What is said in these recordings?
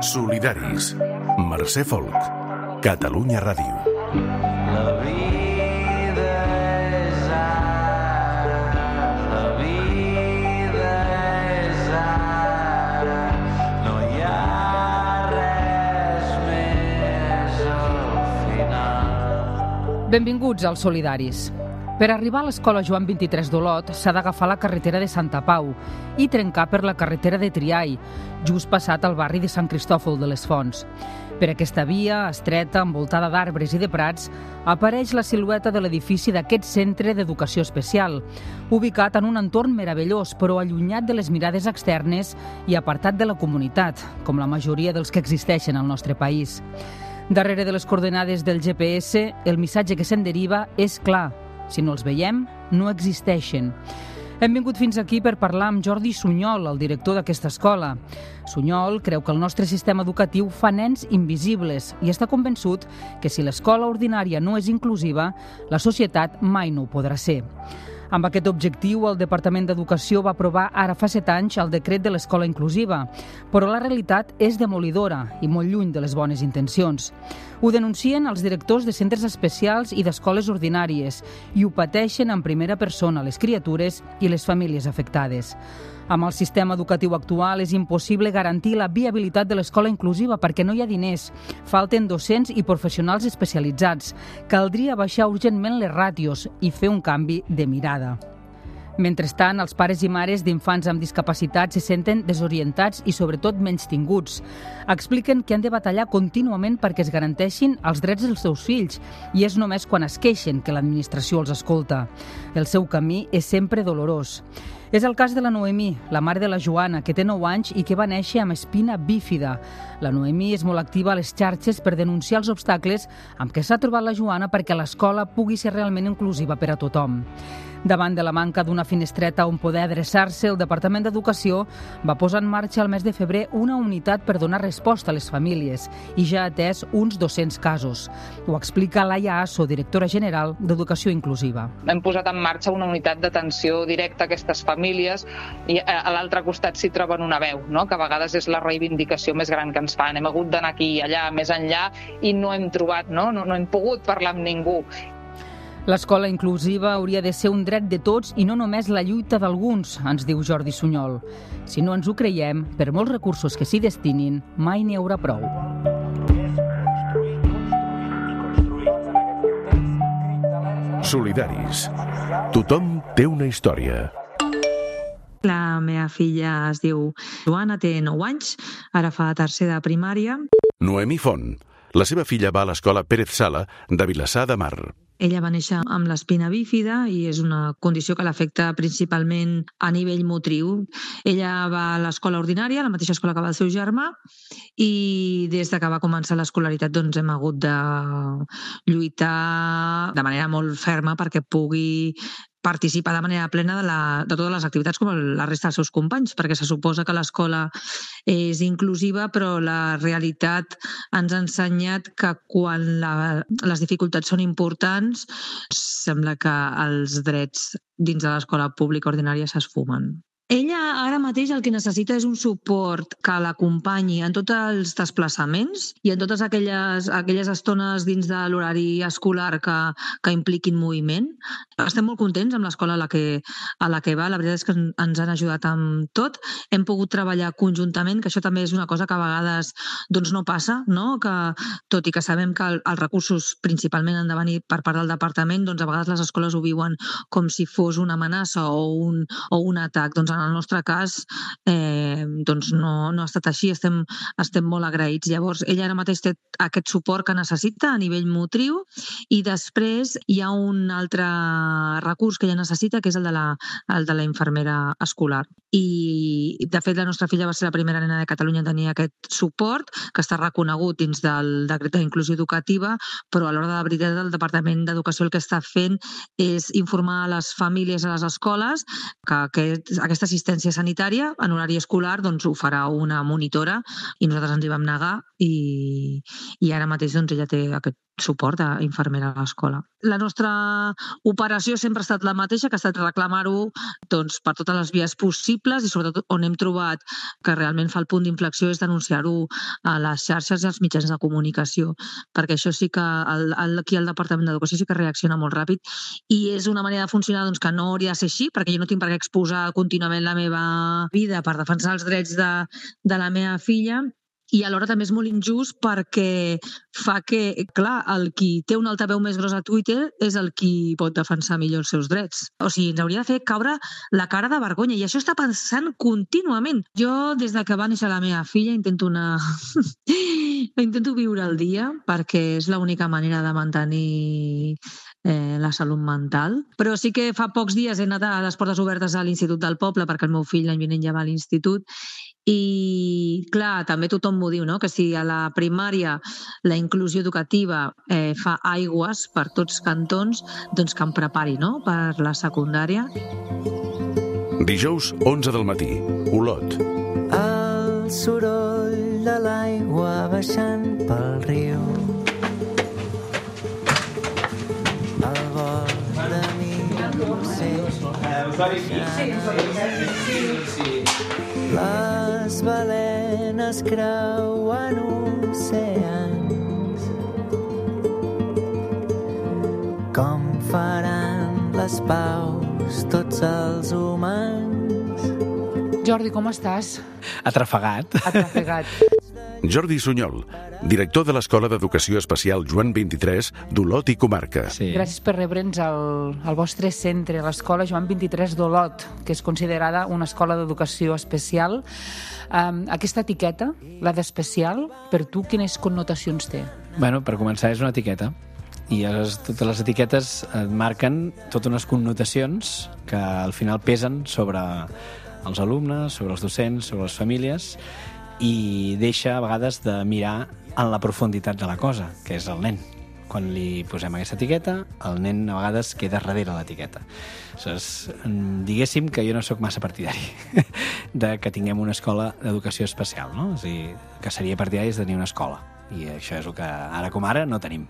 Solidaris. Mercè Folk. Catalunya Ràdio. La vida és ara, la vida és ara, no hi ha res més al final. Benvinguts als Solidaris. Per arribar a l'escola Joan 23 d'Olot s'ha d'agafar la carretera de Santa Pau i trencar per la carretera de Triai, just passat al barri de Sant Cristòfol de les Fonts. Per aquesta via, estreta, envoltada d'arbres i de prats, apareix la silueta de l'edifici d'aquest centre d'educació especial, ubicat en un entorn meravellós, però allunyat de les mirades externes i apartat de la comunitat, com la majoria dels que existeixen al nostre país. Darrere de les coordenades del GPS, el missatge que se'n deriva és clar. Si no els veiem, no existeixen. Hem vingut fins aquí per parlar amb Jordi Sunyol, el director d'aquesta escola. Sunyol creu que el nostre sistema educatiu fa nens invisibles i està convençut que si l'escola ordinària no és inclusiva, la societat mai no ho podrà ser. Amb aquest objectiu, el Departament d'Educació va aprovar ara fa 7 anys el decret de l'escola inclusiva, però la realitat és demolidora i molt lluny de les bones intencions. Ho denuncien els directors de centres especials i d'escoles ordinàries i ho pateixen en primera persona les criatures i les famílies afectades. Amb el sistema educatiu actual és impossible garantir la viabilitat de l'escola inclusiva perquè no hi ha diners, falten docents i professionals especialitzats. Caldria baixar urgentment les ràtios i fer un canvi de mirada. Mentrestant, els pares i mares d'infants amb discapacitats se senten desorientats i, sobretot, menystinguts. Expliquen que han de batallar contínuament perquè es garanteixin els drets dels seus fills i és només quan es queixen que l'administració els escolta. El seu camí és sempre dolorós. És el cas de la Noemí, la mare de la Joana, que té 9 anys i que va néixer amb espina bífida. La Noemí és molt activa a les xarxes per denunciar els obstacles amb què s'ha trobat la Joana perquè l'escola pugui ser realment inclusiva per a tothom. Davant de la manca d'una finestreta on poder adreçar-se, el Departament d'Educació va posar en marxa al mes de febrer una unitat per donar resposta a les famílies i ja ha atès uns 200 casos. Ho explica Laia Asso, directora general d'Educació Inclusiva. Hem posat en marxa una unitat d'atenció directa a aquestes famílies i a l'altre costat s'hi troben una veu, no? Que a vegades és la reivindicació més gran que ens fan. Hem hagut d'anar aquí i allà, més enllà, i no hem trobat, no hem pogut parlar amb ningú. L'escola inclusiva hauria de ser un dret de tots i no només la lluita d'alguns, ens diu Jordi Sunyol. Si no ens ho creiem, per molts recursos que s'hi destinin, mai n'hi haurà prou. Solidaris. Tothom té una història. La meva filla es diu Joana, té 9 anys, ara fa tercer de primària. Noemí Font. La seva filla va a l'escola Pérez Sala de Vilassar de Mar. Ella va néixer amb l'espina bífida i és una condició que l'afecta principalment a nivell motriu. Ella va a l'escola ordinària, a la mateixa escola que va el seu germà, i des de que va començar l'escolaritat doncs, hem hagut de lluitar de manera molt ferma perquè pugui participar de manera plena de totes les activitats com la resta dels seus companys, perquè se suposa que l'escola és inclusiva, però la realitat ens ha ensenyat que quan les dificultats són importants, sembla que els drets dins de l'escola pública ordinària s'esfumen. Ella ara mateix el que necessita és un suport que l'acompanyi en tots els desplaçaments i en totes aquelles estones dins de l'horari escolar que impliquin moviment. Estem molt contents amb l'escola a la que va, la veritat és que ens han ajudat amb tot. Hem pogut treballar conjuntament, que això també és una cosa que a vegades doncs, no passa, no? Que, tot i que sabem que els recursos principalment han de venir per part del departament, doncs a vegades les escoles ho viuen com si fos una amenaça o un atac. Doncs en el nostre cas doncs no ha estat així, estem molt agraïts. Llavors, ella ara mateix té aquest suport que necessita a nivell motriu i després hi ha un altre recurs que ella necessita, que és el de la infermera escolar. I, de fet, la nostra filla va ser la primera nena de Catalunya a tenir aquest suport, que està reconegut dins del decret d'inclusió educativa, però a l'hora de la veritat el Departament d'Educació el que està fent és informar a les famílies, a les escoles, que aquesta assistència sanitària en horari escolar doncs, ho farà una monitora i nosaltres ens hi vam negar i ara mateix doncs, ella té aquest suport a infermera a l'escola. La nostra operació sempre ha estat la mateixa, que ha estat reclamar-ho doncs, per totes les vies possibles, i sobretot on hem trobat que realment fa el punt d'inflexió és denunciar-ho a les xarxes i als mitjans de comunicació, perquè això sí que aquí al Departament d'Educació sí que reacciona molt ràpid, i és una manera de funcionar doncs, que no hauria de ser així, perquè jo no tinc per què exposar contínuament la meva vida per defensar els drets de la meva filla, i alhora també és molt injust perquè fa que, clar, el qui té un altaveu més gros a Twitter és el qui pot defensar millor els seus drets. O sigui, ens hauria de fer caure la cara de vergonya, i això està pensant contínuament. Jo, des de que va néixer la meva filla, intento viure el dia, perquè és l'única manera de mantenir la salut mental. Però sí que fa pocs dies he anat a les portes obertes a l'Institut del Poble, perquè el meu fill l'any vinent ja va a l'institut, i clar, també tothom m'ho diu, no? Que si a la primària la inclusió educativa fa aigües per tots cantons, doncs que em prepari, no?, per la secundària. Dijous, 11 del matí, Olot. El soroll de l'aigua baixant pel riu, el vol de mi les balenes creuen oceans. Com faran les paus tots els humans? Jordi, com estàs? Atrafegat. Jordi Sunyol, director de l'Escola d'Educació Especial Joan 23 d'Olot i Comarca. Sí. Gràcies per rebre'ns al vostre centre, l'Escola Joan 23 d'Olot, que és considerada una escola d'educació especial. Aquesta etiqueta, la d'especial, per tu quines connotacions té? Bueno, per començar, és una etiqueta. I totes les etiquetes et marquen totes unes connotacions que al final pesen sobre els alumnes, sobre els docents, sobre les famílies, i deixa a vegades de mirar en la profunditat de la cosa, que és el nen. Quan li posem aquesta etiqueta, el nen a vegades queda darrere l'etiqueta. Aleshores, diguéssim que jo no sóc massa partidari de que tinguem una escola d'educació especial, no? És a dir, que seria partidari de tenir una escola, i això és el que ara com ara no tenim.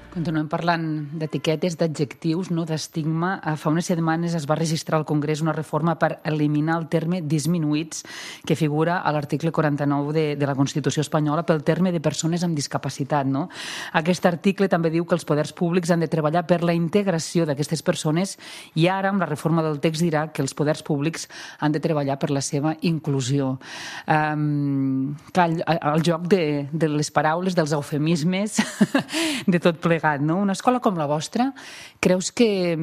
Continuem parlant d'etiquetes, d'adjectius, no? D'estigma. Fa unes setmanes es va registrar al Congrés una reforma per eliminar el terme disminuïts, que figura a l'article 49 de la Constitució espanyola pel terme de persones amb discapacitat, no? Aquest article també diu que els poders públics han de treballar per la integració d'aquestes persones, i ara, amb la reforma del text, dirà que els poders públics han de treballar per la seva inclusió. Clar, el joc de les paraules, dels eufemismes, de tot plegat. No? Una escola com la vostra, creus que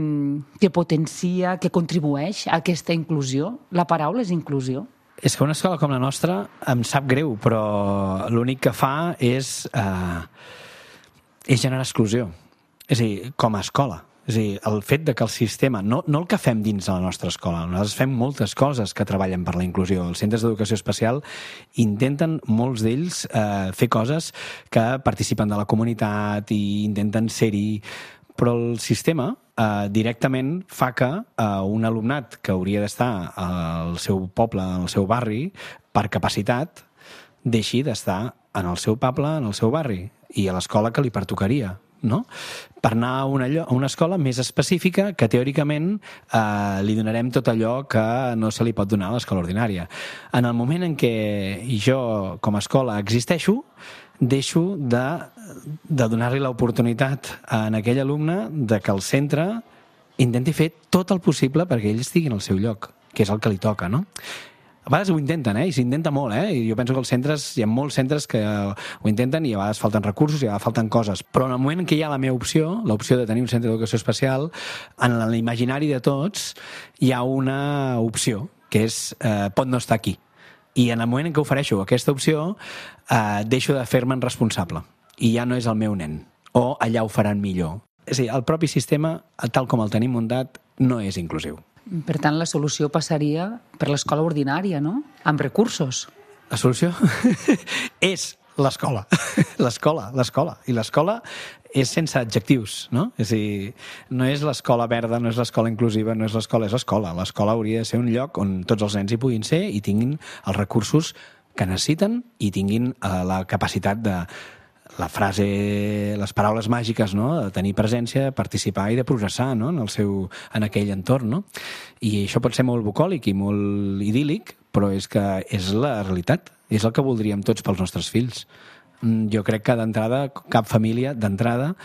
potencia, que contribueix a aquesta inclusió? La paraula és inclusió? És que una escola com la nostra em sap greu, però l'únic que fa és generar exclusió. És a dir, com a escola. És a dir, el fet de que el sistema, no el que fem dins de la nostra escola, nosaltres fem moltes coses que treballen per la inclusió. Els centres d'educació especial intenten, molts d'ells, fer coses que participen de la comunitat i intenten ser-hi, però el sistema directament fa que un alumnat que hauria d'estar al seu poble, al seu barri, per capacitat, deixi d'estar en el seu poble, en el seu barri, i a l'escola que li pertocaria, no? Per anar a una escola més específica que teòricament li donarem tot allò que no se li pot donar a l'escola ordinària. En el moment en què jo com a escola existeixo, deixo de donar-li l'oportunitat a aquell alumne de que el centre intenti fer tot el possible perquè ell estigui en el seu lloc, que és el que li toca, no? A vegades ho intenten, i s'intenta molt, i jo penso que els centres, hi ha molts centres que ho intenten i a vegades falten recursos i a vegades falten coses, però en el moment en què hi ha la meva opció, l'opció de tenir un centre d'educació especial, en l'imaginari de tots hi ha una opció, que és pot no estar aquí. I en el moment en què ofereixo aquesta opció, deixo de fer-me'n responsable. I ja no és el meu nen. O allà ho faran millor. És a dir, el propi sistema, tal com el tenim muntat, no és inclusiu. Per tant, la solució passaria per l'escola ordinària, no? Amb recursos. La solució és l'escola. L'escola. I l'escola és sense adjectius, no? És a dir, no és l'escola verda, no és l'escola inclusiva, no és l'escola, és l'escola. L'escola hauria de ser un lloc on tots els nens hi puguin ser i tinguin els recursos que necessiten i tinguin la capacitat de la frase, les paraules màgiques, no? De tenir presència, de participar i de progressar, no? En aquell entorn, no? I això pot ser molt bucòlic i molt idíl·lic, però és que és la realitat, és el que voldríem tots pels nostres fills. Jo crec que d'entrada, cap família d'entrada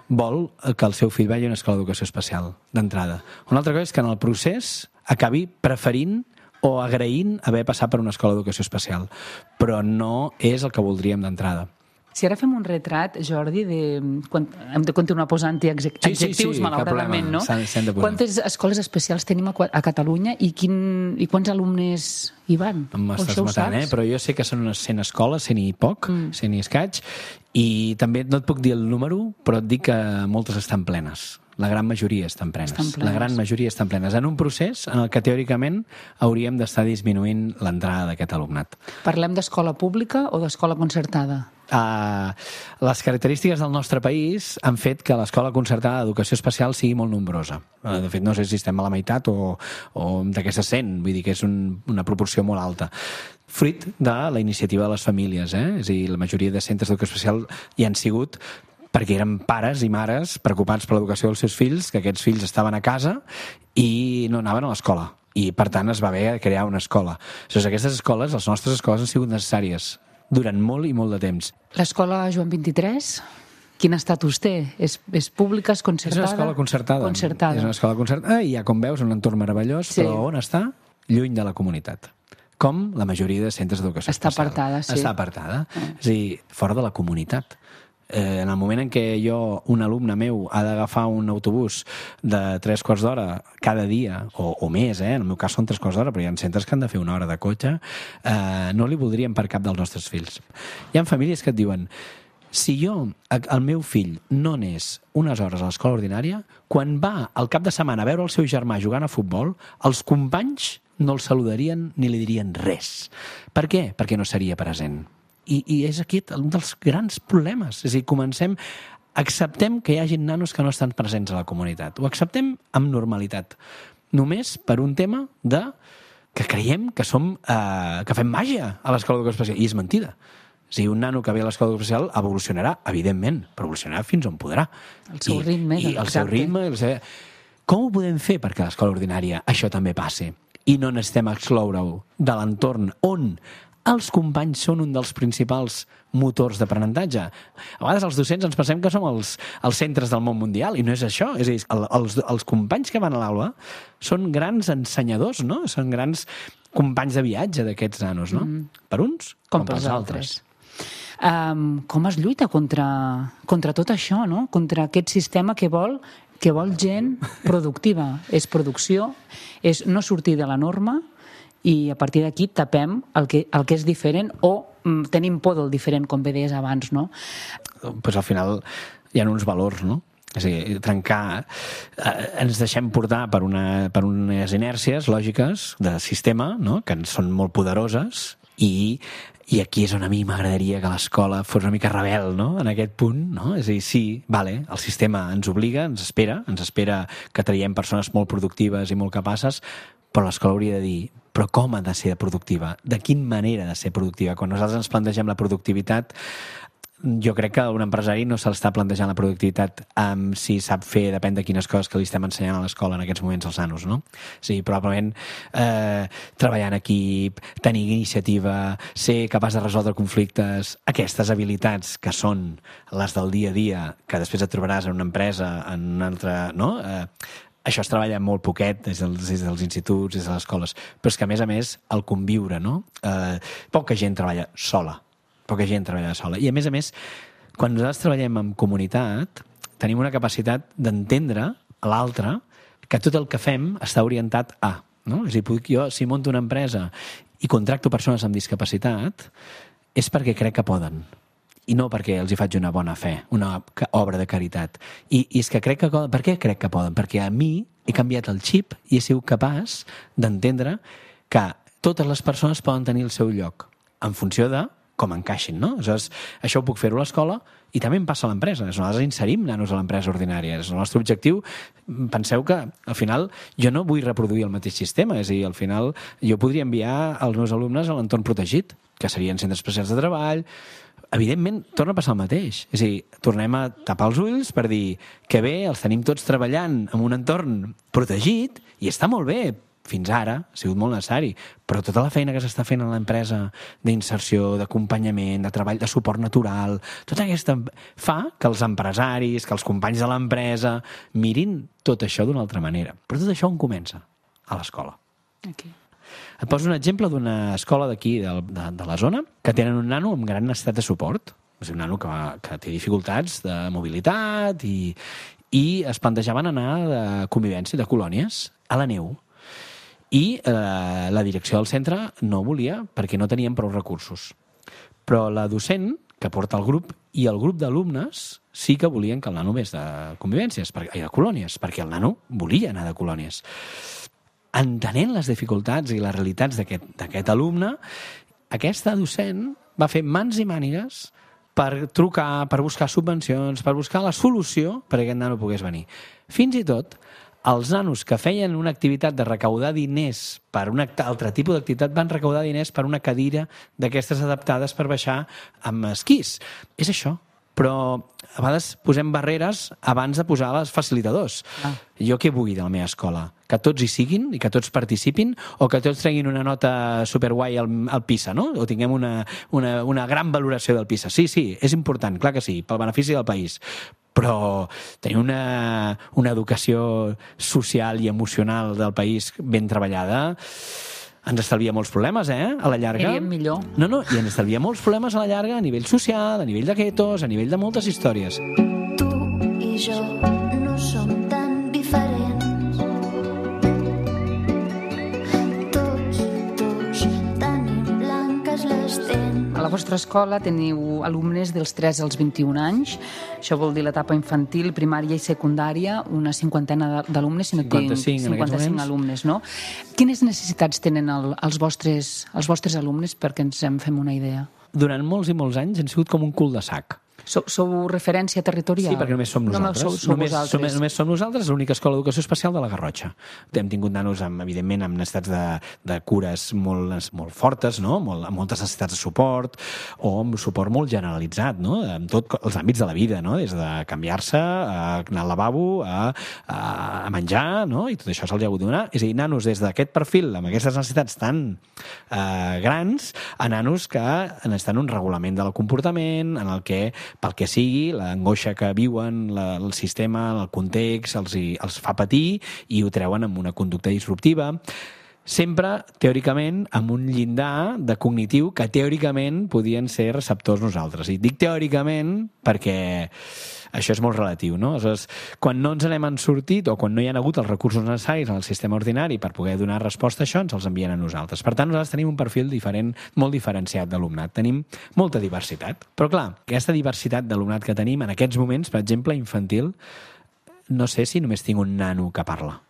vol que el seu fill vagi a una escola d'educació especial, d'entrada. Una altra cosa és que en el procés acabi preferint o agraint haver passat per una escola d'educació especial, però no és el que voldríem d'entrada. Si ara fem un retrat, Jordi, hem de continuar posant-hi adjectius, malauradament, no? Quantes escoles especials tenim a Catalunya i quants alumnes hi van? M'estàs matant, però jo sé que són unes 100 escoles, 100 i poc, 100 i escaig, i també no et puc dir el número, però et dic que moltes estan plenes. La gran majoria estan plenes. La gran majoria estan plenes. En un procés en el que teòricament hauríem d'estar disminuint l'entrada d'aquest alumnat. Parlem d'escola pública o d'escola concertada? Les característiques del nostre país han fet que l'escola concertada d'educació especial sigui molt nombrosa. De fet, no sé si estem a la meitat o d'aquestes 100, vull dir que és una proporció molt alta. Fruit de la iniciativa de les famílies, És a dir, la majoria de centres d'educació especial hi han sigut perquè eren pares i mares preocupats per l'educació dels seus fills, que aquests fills estaven a casa i no anaven a l'escola. I, per tant, es va haver de crear una escola. Aquestes escoles, les nostres escoles, han sigut necessàries durant molt i molt de temps. L'escola Joan 23, quin estatus té? És pública, és concertada? És una escola concertada. És una escola concertada i, com veus, un entorn meravellós, però on està? Lluny de la comunitat. Com la majoria de centres d'educació especial. Està apartada, sí. Està apartada. És a dir, fora de la comunitat. En el moment en què un alumne meu ha d'agafar un autobús de 3 quarts d'hora cada dia, o més, en el meu cas són 3 quarts d'hora, però hi ha centres que han de fer una hora de cotxe, no li voldríem per cap dels nostres fills. Hi ha famílies que et diuen, si el meu fill no anés unes hores a l'escola ordinària, quan va al cap de setmana a veure el seu germà jugant a futbol, els companys no el saludarien ni li dirien res. Per què? Perquè no seria present. I és aquí un dels grans problemes. És a dir, acceptem que hi hagi nanos que no estan presents a la comunitat. Ho acceptem amb normalitat. Només per un tema que creiem que fem màgia a l'escola d'educació especial. I és mentida. És a dir, un nano que ve a l'escola d'educació especial evolucionarà, evidentment, però evolucionarà fins on podrà. El seu ritme. I el seu ritme. Com ho podem fer perquè a l'escola ordinària això també passi? I no necessitem excloure-ho de l'entorn on els companys són un dels principals motors d'aprenentatge. A vegades els docents ens pensem que som els centres del món mundial i no és això. És a dir, els companys que van a l'aula són grans ensenyadors, no? Són grans companys de viatge d'aquests nanos, no? Per uns com pels altres. Com es lluita contra tot això, no? Contra aquest sistema que vol gent productiva. És producció, és no sortir de la norma, i a partir d'aquí tapem el que és diferent o tenim por del diferent, com bé deies abans, no? Pues al final hi ha uns valors, no? És a dir, trencar... ens deixem portar per unes inèrcies lògiques de sistema, no? Que són molt poderoses i aquí és on a mi m'agradaria que l'escola fos una mica rebel, no? En aquest punt, no? És a dir, sí, vale, el sistema ens obliga, ens espera que traiem persones molt productives i molt capaces, però l'escola hauria de dir, però com ha de ser productiva? De quina manera ha de ser productiva? Quan nosaltres ens plantegem la productivitat, jo crec que un empresari no se l'està plantejant la productivitat si sap fer, depèn de quines coses que li estem ensenyant a l'escola en aquests moments als nanos, no? Sí, probablement treballar en equip, tenir iniciativa, ser capaç de resoldre conflictes, aquestes habilitats que són les del dia a dia, que després et trobaràs en una empresa, en una altra, no? Això es treballa molt poquet des dels instituts, des de les escoles, però és que, a més, el conviure, no? Poca gent treballa sola. I, a més, quan nosaltres treballem en comunitat, tenim una capacitat d'entendre a l'altre que tot el que fem està orientat a, no? És a dir, jo, si monto una empresa i contracto persones amb discapacitat, és perquè crec que poden. I no perquè els hi faig una bona fe, una obra de caritat. I és que crec que poden. Per què crec que poden? Perquè a mi he canviat el xip i he sigut capaç d'entendre que totes les persones poden tenir el seu lloc en funció de com encaixin, no? Aleshores, això ho puc fer-ho a l'escola i també em passa a l'empresa. Nosaltres inserim nanos a l'empresa ordinària. És el nostre objectiu. Penseu que, al final, jo no vull reproduir el mateix sistema. És a dir, al final, jo podria enviar els meus alumnes a l'entorn protegit, que serien centres especials de treball, evidentment, torna a passar el mateix. És a dir, tornem a tapar els ulls per dir que bé, els tenim tots treballant en un entorn protegit i està molt bé, fins ara ha sigut molt necessari, però tota la feina que s'està fent a l'empresa d'inserció, d'acompanyament, de treball, de suport natural, tota aquesta fa que els empresaris, que els companys de l'empresa mirin tot això d'una altra manera. Però tot això on comença? A l'escola. Aquí. Et poso un exemple d'una escola d'aquí, de la zona, que tenen un nano amb gran necessitat de suport. És un nano que té dificultats de mobilitat i es plantejaven anar de convivència, de colònies, a la neu. I la direcció del centre no volia perquè no tenien prou recursos. Però la docent que porta el grup i el grup d'alumnes sí que volien que el nano anés de convivències, de colònies, perquè el nano volia anar de colònies. Entenent les dificultats i les realitats d'aquest alumne, aquesta docent va fer mans i mànigues per trucar, per buscar subvencions, per buscar la solució perquè aquest nano pogués venir. Fins i tot, els nanos que feien una activitat de recaudar diners per un altre tipus d'activitat van recaudar diners per una cadira d'aquestes adaptades per baixar amb esquís. És això. Però a vegades posem barreres abans de posar els facilitadors. Jo què vull de la meva escola? Que tots hi siguin i que tots participin o que tots treguin una nota superguai al PISA, no? O tinguem una gran valoració del PISA. Sí, és important, clar que sí, pel benefici del país. Però tenir una educació social i emocional del país ben treballada ens estalvia molts problemes, a la llarga. Seríem millor. No, i ens estalvia molts problemes a la llarga a nivell social, a nivell de guetos, a nivell de moltes històries. Tu i jo no som tan diferents. Tots dos tenim blanques les dents. A la vostra escola teniu alumnes dels 3 als 21 anys. Això vol dir l'etapa infantil, primària i secundària, una cinquantena d'alumnes, si no 55 alumnes, no? Quines necessitats tenen els vostres alumnes perquè ens en fem una idea? Durant molts i molts anys han sigut com un cul de sac. Sou referència territorial? Sí, perquè només som nosaltres. Només som nosaltres, l'única escola d'educació especial de la Garrotxa. Hem tingut nanos, evidentment, amb necessitats de cures molt fortes, no? Amb moltes necessitats de suport, o amb suport molt generalitzat, no? En tots els àmbits de la vida, no? Des de canviar-se, a anar al lavabo, a menjar, no? I tot això se'ls ha hagut de donar. És a dir, nanos des d'aquest perfil, amb aquestes necessitats tan grans, a nanos que necessiten un regulament del comportament, en el que pel que sigui, l'angoixa que viuen, el sistema, el context, els fa patir i ho treuen amb una conducta disruptiva. Sempre, teòricament, amb un llindar de cognitiu que teòricament podien ser receptors nosaltres. I dic teòricament perquè això és molt relatiu, no? Aleshores, quan no ens n'hem sortit o quan no hi ha hagut els recursos necessaris en el sistema ordinari per poder donar resposta a això, ens els envien a nosaltres. Per tant, nosaltres tenim un perfil diferent, molt diferenciat d'alumnat. Tenim molta diversitat. Però, clar, aquesta diversitat d'alumnat que tenim en aquests moments, per exemple, infantil, no sé si només tinc un nano que parla,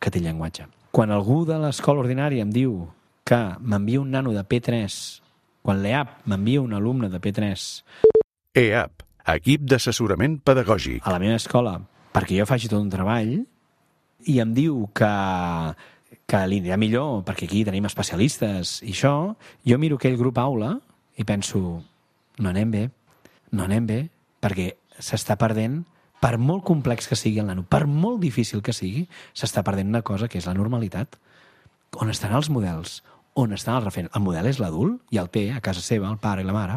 que té llenguatge. Quan algú de l'escola ordinària em diu que m'envia un nano de P3, quan l'EAP m'envia un alumne de P3... EAP, Equip d'Assessorament Pedagògic. A la meva escola, perquè jo faci tot un treball, i em diu que li anirà millor, perquè aquí tenim especialistes i això, jo miro aquell grup aula i penso, no anem bé, perquè s'està perdent, per molt complex que sigui el nano, per molt difícil que sigui, s'està perdent una cosa que és la normalitat. On estan els models? On estan els referents? El model és l'adult, i el té a casa seva, el pare i la mare.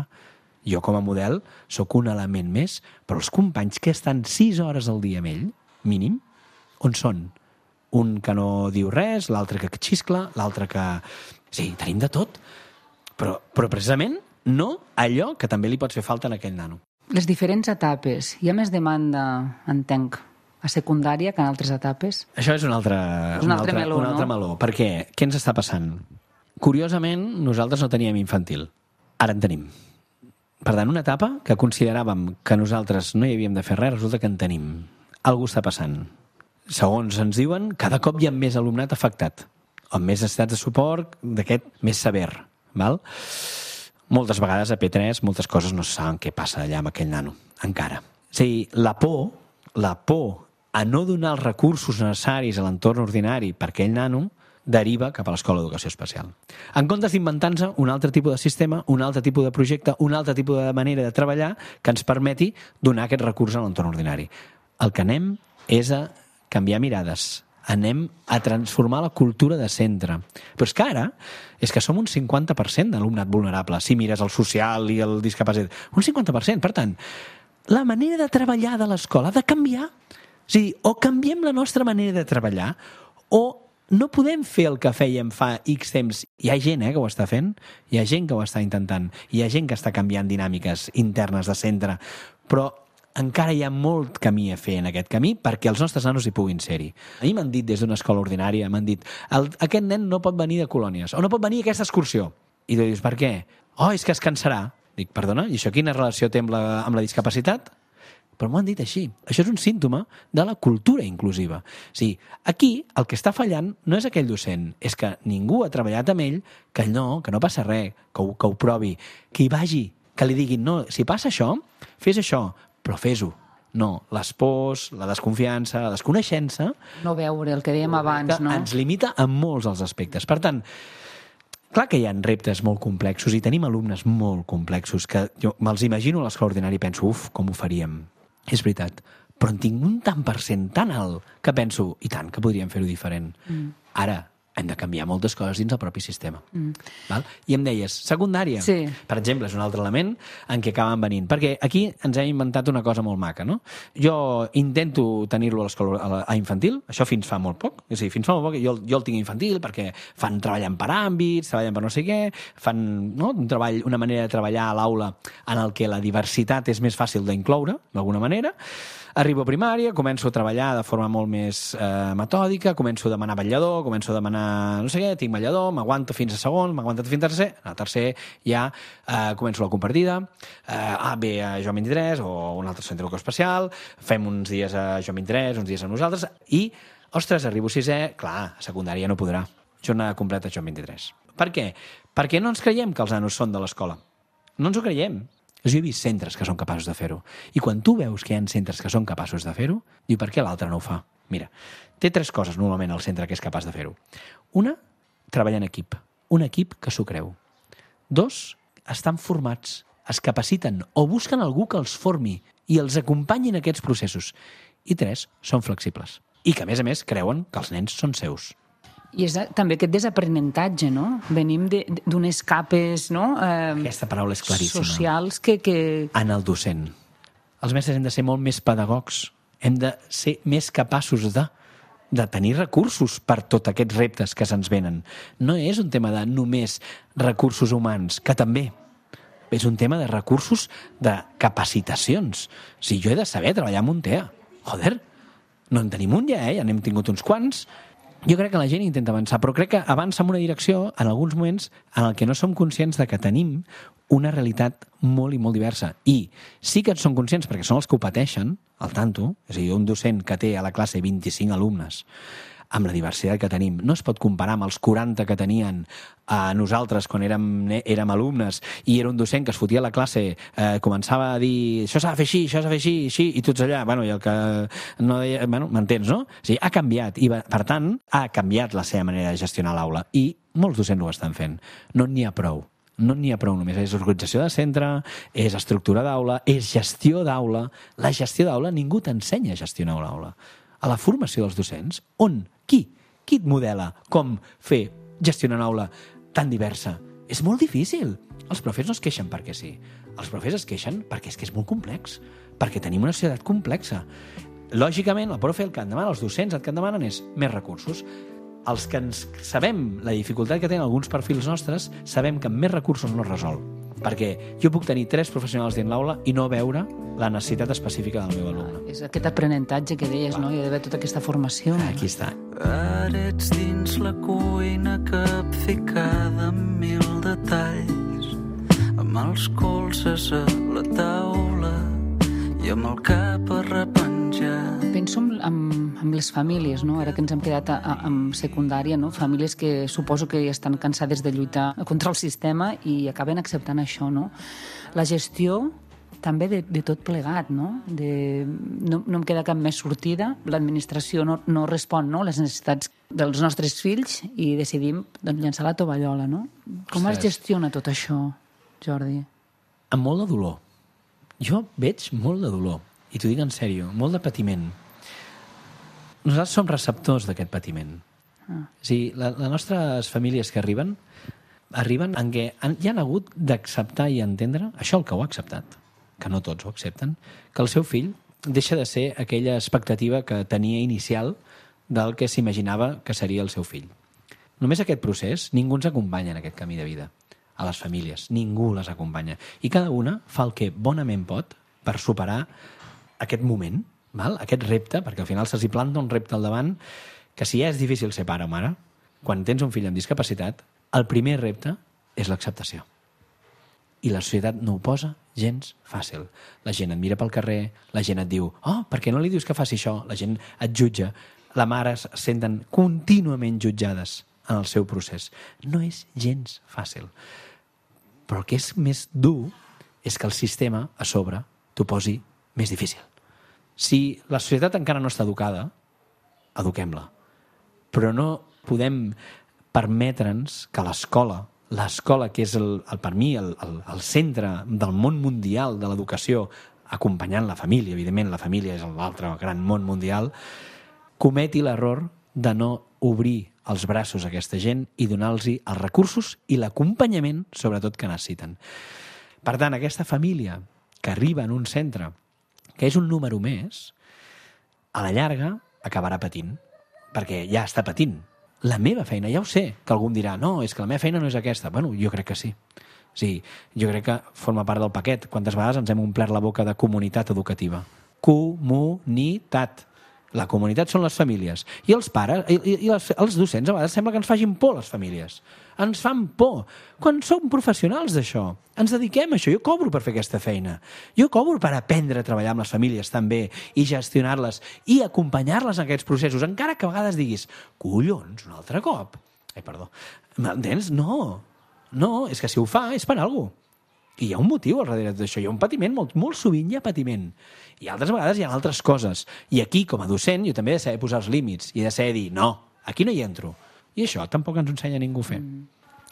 Jo, com a model, sóc un element més, però els companys que estan 6 hores al dia amb ell, mínim, on són? Un que no diu res, l'altre que xiscla, l'altre que... Sí, tenim de tot, però precisament no allò que també li pot fer falta a aquell nano. Les diferents etapes. Hi ha més demanda, entenc, a secundària que en altres etapes? Això és un altre meló. Per què? Què ens està passant? Curiosament, nosaltres no teníem infantil. Ara en tenim. Per tant, una etapa que consideràvem que nosaltres no hi havíem de fer res, resulta que en tenim. Algú està passant. Segons ens diuen, cada cop hi ha més alumnat afectat, amb més necessitats de suport d'aquest més sever. Val? Moltes vegades a P3 moltes coses no saben què passa allà amb aquell nano, encara. És a dir, la por a no donar els recursos necessaris a l'entorn ordinari per aquell nano deriva cap a l'escola d'educació especial. En comptes d'inventar-nos un altre tipus de sistema, un altre tipus de projecte, un altre tipus de manera de treballar que ens permeti donar aquest recurs a l'entorn ordinari. El que anem és a canviar mirades, anem a transformar la cultura de centre. Però és que ara és que som un 50% d'alumnat vulnerable, si mires el social i el discapacitat. Un 50%, per tant, la manera de treballar de l'escola ha de canviar. O sigui, o canviem la nostra manera de treballar o no podem fer el que fèiem fa X temps. Hi ha gent que ho està fent, hi ha gent que ho està intentant, hi ha gent que està canviant dinàmiques internes de centre, però encara hi ha molt camí a fer en aquest camí perquè els nostres nanos hi puguin ser-hi. A mi m'han dit des d'una escola ordinària, m'han dit, aquest nen no pot venir de colònies, o no pot venir a aquesta excursió. I tu dius, per què? Oh, és que es cansarà. Dic, perdona, i això quina relació té amb la discapacitat? Però m'ho han dit així. Això és un símptoma de la cultura inclusiva. O sigui, aquí el que està fallant no és aquell docent, és que ningú ha treballat amb ell que no passa res, que ho provi, que hi vagi, que li diguin, no, si passa això, fes això, però fes-ho. No, les pors, la desconfiança, la desconeixença... No veure el que dèiem abans, no? Ens limita en molts dels aspectes. Per tant, clar que hi ha reptes molt complexos i tenim alumnes molt complexos que jo me'ls imagino a l'escola ordinària i penso, com ho faríem? És veritat, però en tinc un tant per cent tan alt que penso, i tant, que podríem fer-ho diferent. Ara, hem de canviar moltes coses dins el propi sistema. Val? I em deies, secundària, sí. Per exemple, és un altre element en què acaben venint. Perquè aquí ens hem inventat una cosa molt maca, no? Jo intento tenir-lo a l'escola a infantil, això fins fa molt poc. És a dir, fins fa molt poc jo el tinc a infantil perquè treballen per àmbits, treballen per no sé què, fan una manera de treballar a l'aula en el que la diversitat és més fàcil d'incloure, d'alguna manera. Arribo a primària, començo a treballar de forma molt més metòdica, començo a demanar vetllador, començo a demanar no sé què, tinc vetllador, m'aguanto fins a segon, m'aguanto fins a tercer, a tercer ja començo la compartida, ve a Joan 23 o un altre centre educatiu especial, fem uns dies a Joan 23, uns dies a nosaltres, i, ostres, arribo a sisè, clar, a secundària no podrà, jornada completa a Joan 23. Per què? Perquè no ens creiem que els nanos són de l'escola. No ens ho creiem. Jo he vist centres que són capaços de fer-ho. I quan tu veus que hi ha centres que són capaços de fer-ho, diu, per què l'altre no ho fa? Mira, té 3 coses normalment el centre que és capaç de fer-ho. Una, treballar en equip. Un equip que s'ho creu. 2, estan formats, es capaciten o busquen algú que els formi i els acompanyi en aquests processos. I 3, són flexibles. I que, a més, creuen que els nens són seus. I és també aquest desaprenentatge, no? Venim d'unes capes, no? Aquesta paraula és claríssima. Socials que... En el docent. Els mestres hem de ser molt més pedagogs. Hem de ser més capaços de tenir recursos per tots aquests reptes que se'ns venen. No és un tema de només recursos humans, que també. És un tema de recursos de capacitacions. O sigui, jo he de saber treballar amb un TEA. Joder, no en tenim un ja, ja n'hem tingut uns quants. Jo crec que la gent intenta avançar, però crec que avança en una direcció, en alguns moments, en el que no som conscients de que tenim una realitat molt i molt diversa. I sí que en som conscients, perquè són els que ho pateixen, al tanto, és a dir, un docent que té a la classe 25 alumnes, amb la diversitat que tenim, no es pot comparar amb els 40 que tenien nosaltres quan érem alumnes i era un docent que es fotia a la classe, començava a dir això s'ha de fer així, això s'ha de fer així, i tots allà, i el que no deia, m'entens, no? O sigui, ha canviat, i per tant, ha canviat la seva manera de gestionar l'aula, i molts docents ho estan fent. No n'hi ha prou. No n'hi ha prou només. És organització de centre, és estructura d'aula, és gestió d'aula. La gestió d'aula, ningú t'ensenya a gestionar l'aula. A la formació dels docents, qui et modela com gestionar una aula tan diversa? És molt difícil. Els profes no es queixen perquè sí. Els profes es queixen perquè és que és molt complex, perquè tenim una societat complexa. Lògicament, el profe el que en demana, els docents el que en demanen és més recursos. Els que ens sabem la dificultat que tenen alguns perfils nostres, sabem que amb més recursos no es resol. Perquè jo puc tenir 3 professionals dins l'aula i no veure la necessitat específica del meu alumne. És aquest aprenentatge que deies, no? Hi ha d'haver tota aquesta formació. Aquí està. Ara ets dins la cuina capficada amb 1000 detalls, amb els colzes a la taula i amb el cap a repenjar. Penso en les famílies, no? Ara que ens hem quedat en secundària, no? Famílies que suposo que estan cansades de lluitar contra el sistema i acaben acceptant això, no? La gestió també de tot plegat, no? No em queda cap més sortida, l'administració no respon, no?, les necessitats dels nostres fills i decidim llançar la tovallola, no? Com es gestiona tot això, Jordi? Amb molt de dolor. Jo veig molt de dolor, i t'ho dic en sèrio, molt de patiment. Nosaltres som receptors d'aquest patiment. És a dir, les nostres famílies que arriben en què ja han hagut d'acceptar i entendre, això el que ho ha acceptat, que no tots ho accepten, que el seu fill deixa de ser aquella expectativa que tenia inicial del que s'imaginava que seria el seu fill. Només aquest procés, ningú ens acompanya en aquest camí de vida. A les famílies, ningú les acompanya. I cada una fa el que bonament pot per superar aquest moment, aquest repte, perquè al final se'ls planta un repte al davant, que si ja és difícil ser pare o mare, quan tens un fill amb discapacitat, el primer repte és l'acceptació. I la societat no ho posa gens fàcil. La gent et mira pel carrer, la gent et diu per què no li dius que faci això? La gent et jutja. Les mares es senten contínuament jutjades en el seu procés. No és gens fàcil. Però el que és més dur és que el sistema, a sobre, t'ho posi més difícil. Si la societat encara no està educada, eduquem-la. Però no podem permetre'ns que l'escola, que és per mi el centre del món mundial de l'educació, acompanyant la família, evidentment la família és l'altre gran món mundial, cometi l'error de no obrir els braços a aquesta gent i donar-los els recursos i l'acompanyament, sobretot, que necessiten. Per tant, aquesta família que arriba en un centre, que és un número més, a la llarga acabarà patint, perquè ja està patint. La meva feina, ja ho sé, que algú em dirà no, és que la meva feina no és aquesta. Bueno, jo crec que sí. Sí, jo crec que forma part del paquet. Quantes vegades ens hem omplert la boca de comunitat educativa? Comunitat. La comunitat són les famílies. I els pares, i els docents, a vegades sembla que ens facin por les famílies. Ens fan por. Quan som professionals d'això, ens dediquem a això. Jo cobro per fer aquesta feina. Jo cobro per aprendre a treballar amb les famílies també i gestionar-les i acompanyar-les en aquests processos, encara que a vegades diguis collons, un altre cop. Perdó. M'entens? No, és que si ho fa és per alguna cosa. I hi ha un motiu al darrere d'això, hi ha un patiment, molt sovint hi ha patiment. I altres vegades hi ha altres coses. I aquí, com a docent, jo també he de saber posar els límits i he de saber dir, no, aquí no hi entro. I això tampoc ens ensenya ningú a fer.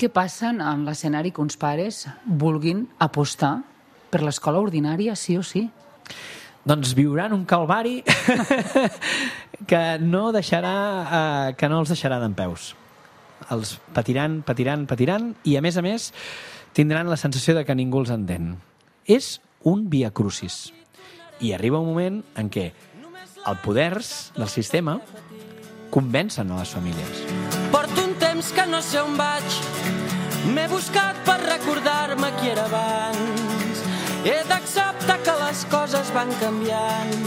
Què passa en l'escenari que uns pares vulguin apostar per l'escola ordinària, sí o sí? Doncs viuran un calvari que no els deixarà dempeus. Els patiran i, a més, tindran la sensació de que ningú els entén. És un via crucis. I arriba un moment en què els poders del sistema convencen a les famílies. Porto un temps que no sé on vaig, m'he buscat per recordar-me qui era abans. He d'acceptar que les coses van canviant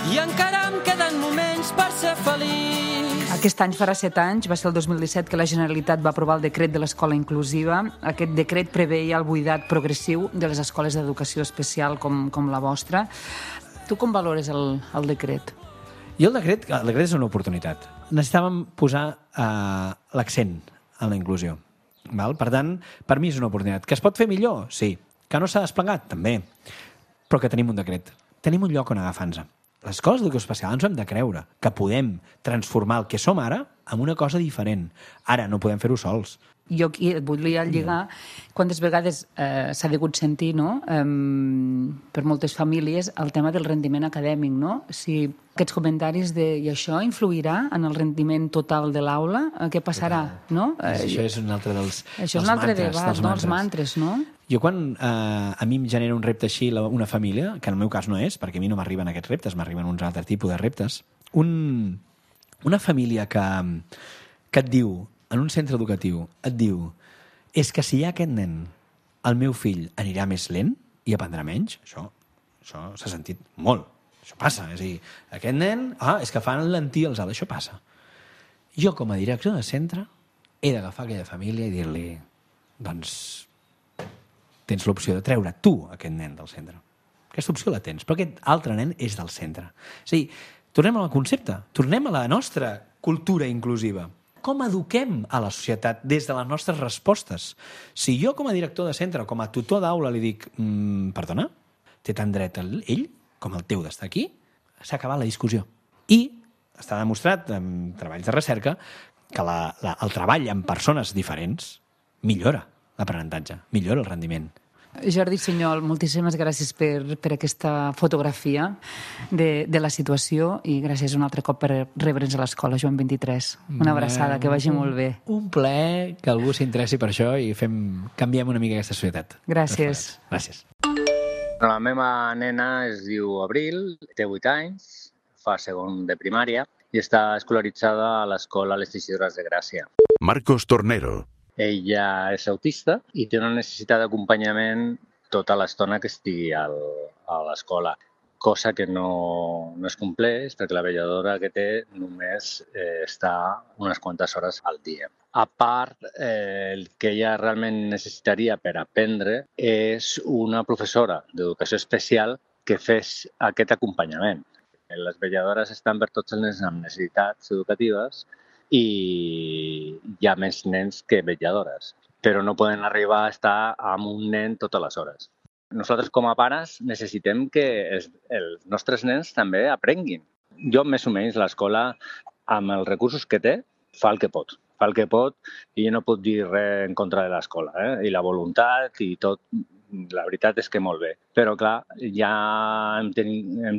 i encara em queden moments per ser feliç. Aquest any farà 7 anys, va ser el 2017, que la Generalitat va aprovar el decret de l'escola inclusiva. Aquest decret preveia el buidat progressiu de les escoles d'educació especial com la vostra. Tu com valores el decret? Jo el decret és una oportunitat. Necessitàvem posar l'accent en la inclusió. Per tant, per mi és una oportunitat. Que es pot fer millor? Sí. Que no s'ha desplegat? També. Però que tenim un decret. Tenim un lloc on agafar-nos. Les escoles d'educació especial ens ho hem de creure, que podem transformar el que som ara en una cosa diferent. Ara no podem fer-ho sols. Jo aquí et volia lligar, quantes vegades s'ha degut sentir, no?, per moltes famílies, el tema del rendiment acadèmic, no? Si aquests comentaris i això influirà en el rendiment total de l'aula, què passarà, no? Això és un altre dels mantres. Això és un altre debat, no? Els mantres, no? Jo quan a mi em genera un repte així una família, que en el meu cas no és, perquè a mi no m'arriben aquests reptes, m'arriben uns altres tipus de reptes, una família que et diu, en un centre educatiu, et diu és que si hi ha aquest nen, el meu fill anirà més lent i aprendrà menys, això s'ha sentit molt. Això passa, és a dir, aquest nen, és que fan lentir els altres, això passa. Jo, com a director de centre, he d'agafar aquella família i dir-li, doncs, tens l'opció de treure tu aquest nen del centre. Aquesta opció la tens, però aquest altre nen és del centre. És a dir, tornem al concepte, tornem a la nostra cultura inclusiva. Com eduquem a la societat des de les nostres respostes? Si jo, com a director de centre, com a tutor d'aula, li dic, perdona, té tant dret ell com el teu d'estar aquí, s'ha acabat la discussió. I està demostrat en treballs de recerca que el treball amb persones diferents millora l'aprenentatge, millora el rendiment. Jordi Sunyol, moltíssimes gràcies per aquesta fotografia de la situació i gràcies un altre cop per rebre'ns a l'escola Joan 23. Una abraçada, que vagi molt bé. Un plaer que algú s'interessi per això i canviem una mica aquesta societat. Gràcies. Gràcies. La meva nena es diu Abril, té 8 anys, fa segon de primària i està escolaritzada a l'escola Les Teixidores de Gràcia. Marcos Tornero. Ella és autista i té una necessitat d'acompanyament tota l'estona que estigui a l'escola, cosa que no es compleix perquè la vetlladora que té només està unes quantes hores al dia. A part, el que ella realment necessitaria per aprendre és una professora d'educació especial que fes aquest acompanyament. Les vetlladores estan per tots els nens amb necessitats educatives i hi ha més nens que vetlladores, però no poden arribar a estar amb un nen totes les hores. Nosaltres com a pares necessitem que els nostres nens també aprenguin. Jo, més o menys, l'escola, amb els recursos que té, fa el que pot. Fa el que pot i no puc dir res en contra de l'escola. I la voluntat i tot, la veritat és que molt bé. Però, clar, ja hem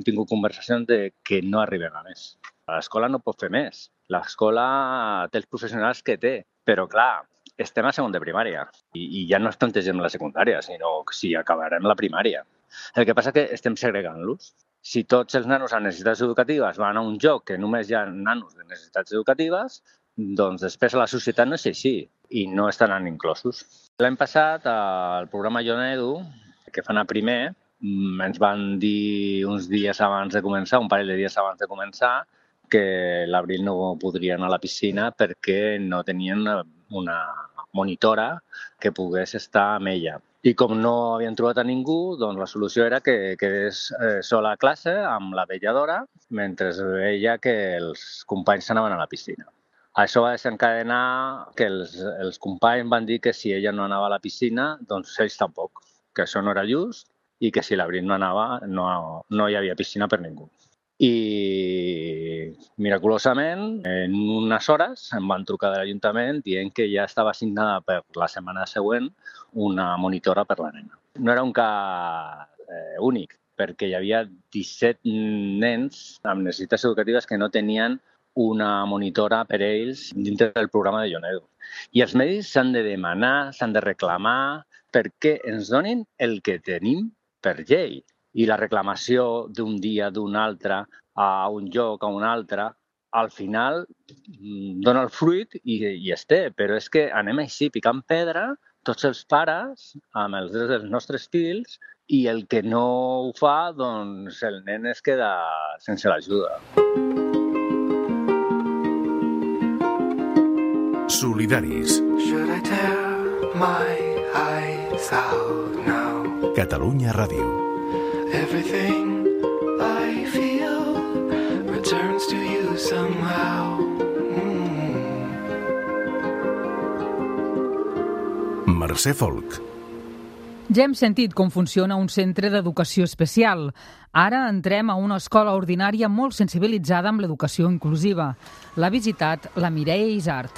tingut conversacions de que no arribem a més. L'escola no pot fer més. L'escola té els professionals que té, però clar, estem a segon de primària i ja no es plantegem la secundària, sinó si acabarem la primària. El que passa és que estem segregant-los. Si tots els nanos amb necessitats educatives van a un lloc que només hi ha nanos de necessitats educatives, doncs després a la societat no és així i no estaran inclosos. L'any passat, al programa Jo Edu, que fan a primer, ens van dir uns dies abans de començar, un parell de dies abans de començar, que l'Abril no podria anar a la piscina perquè no tenien una monitora que pogués estar amb ella. I com no havien trobat a ningú, doncs la solució era que quedés sola a classe amb la vetlladora mentre veia que els companys s'anaven a la piscina. Això va desencadenar que els companys van dir que si ella no anava a la piscina, doncs ells tampoc, que això no era just i que si l'Abril no anava no hi havia piscina per ningú. I miraculosament, en unes hores em van trucar de l'Ajuntament dient que ja estava assignada per la setmana següent una monitora per la nena. No era un cas únic, perquè hi havia 17 nens amb necessitats educatives que no tenien una monitora per ells dintre del programa de Jo Edu. I els medis s'han de demanar, s'han de reclamar, perquè ens donin el que tenim per llei. I la reclamació d'un dia, d'un altre, a un lloc, a un altre, al final dona el fruit i es té. Però és que anem així picant pedra, tots els pares, amb els drets dels nostres fills, i el que no ho fa, doncs el nen es queda sense l'ajuda. Solidaris. Should I tear my eyes out now? Catalunya Ràdio. Everything I feel returns to you somehow. Mercè Folk. Ja hem sentit com funciona un centre d'educació especial. Ara entrem a una escola ordinària molt sensibilitzada amb l'educació inclusiva. L'ha visitat la Mireia Isart.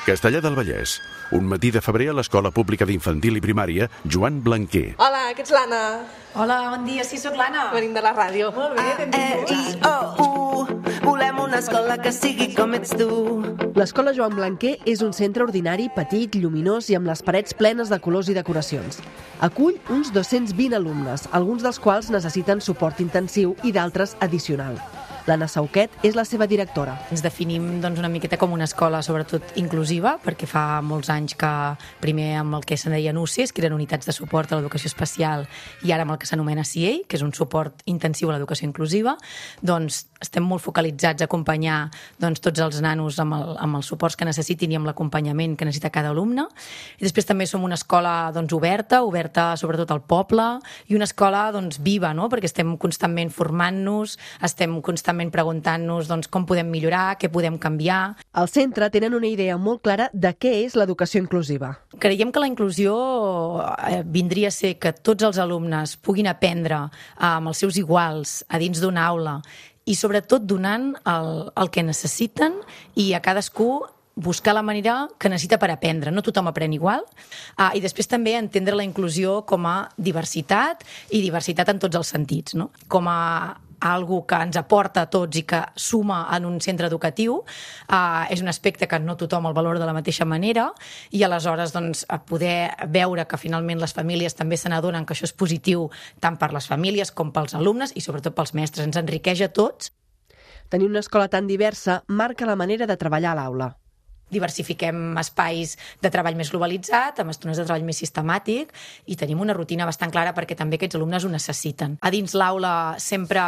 Castellar del Vallès. Un matí de febrer a l'Escola Pública d'Infantil i Primària Joan Blanquer. Hola, que ets l'Anna? Hola, bon dia, sí, sóc l'Anna. Venim de la ràdio. Molt bé, benvinguts. Volem una escola que sigui com ets tu. L'Escola Joan Blanquer és un centre ordinari petit, lluminós i amb les parets plenes de colors i decoracions. Acull uns 220 alumnes, alguns dels quals necessiten suport intensiu i d'altres addicional. L'Anna Sauquet és la seva directora. Ens definim una miqueta com una escola sobretot inclusiva, perquè fa molts anys que primer amb el que se'n deien UCIs, que eren unitats de suport a l'educació especial, i ara amb el que s'anomena CIEI, que és un suport intensiu a l'educació inclusiva, doncs estem molt focalitzats a acompanyar tots els nanos amb els suports que necessitin i amb l'acompanyament que necessita cada alumne. I després també som una escola oberta sobretot al poble, i una escola viva, no? Perquè estem constantment formant-nos, estem constantment contínuament preguntant-nos com podem millorar, què podem canviar. Al centre tenen una idea molt clara de què és l'educació inclusiva. Creiem que la inclusió vindria a ser que tots els alumnes puguin aprendre amb els seus iguals a dins d'una aula i sobretot donant el que necessiten i a cadascú buscar la manera que necessita per aprendre. No tothom aprèn igual. I després també entendre la inclusió com a diversitat i diversitat en tots els sentits, no? Com a algo que ens aporta a tots i que suma en un centre educatiu. És un aspecte que no tothom el valora de la mateixa manera i aleshores poder veure que finalment les famílies també se n'adonen que això és positiu tant per les famílies com pels alumnes i sobretot pels mestres. Ens enriqueix a tots. Tenir una escola tan diversa marca la manera de treballar a l'aula. Diversifiquem espais de treball més globalitzat, amb estones de treball més sistemàtic i tenim una rutina bastant clara perquè també aquests alumnes ho necessiten. A dins l'aula sempre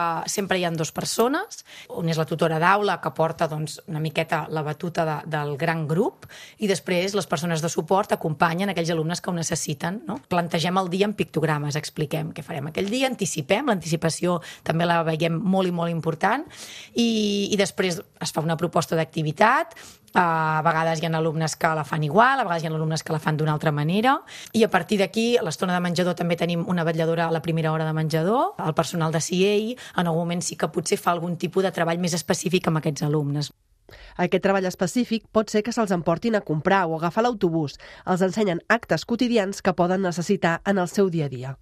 hi ha 2 persones. Una és la tutora d'aula que porta una miqueta la batuta del gran grup i després les persones de suport acompanyen aquells alumnes que ho necessiten. No? Plantegem el dia en pictogrames, expliquem què farem aquell dia, anticipem, l'anticipació també la veiem molt i molt important i després es fa una proposta d'activitat. A vegades hi ha alumnes que la fan igual, a vegades hi ha alumnes que la fan d'una altra manera i a partir d'aquí, a l'estona de menjador també tenim una vetlladora a la primera hora de menjador, el personal de CA en algun moment sí que potser fa algun tipus de treball més específic amb aquests alumnes. Aquest treball específic pot ser que se'ls emportin a comprar o agafar l'autobús. Els ensenyen actes quotidians que poden necessitar en el seu dia a dia.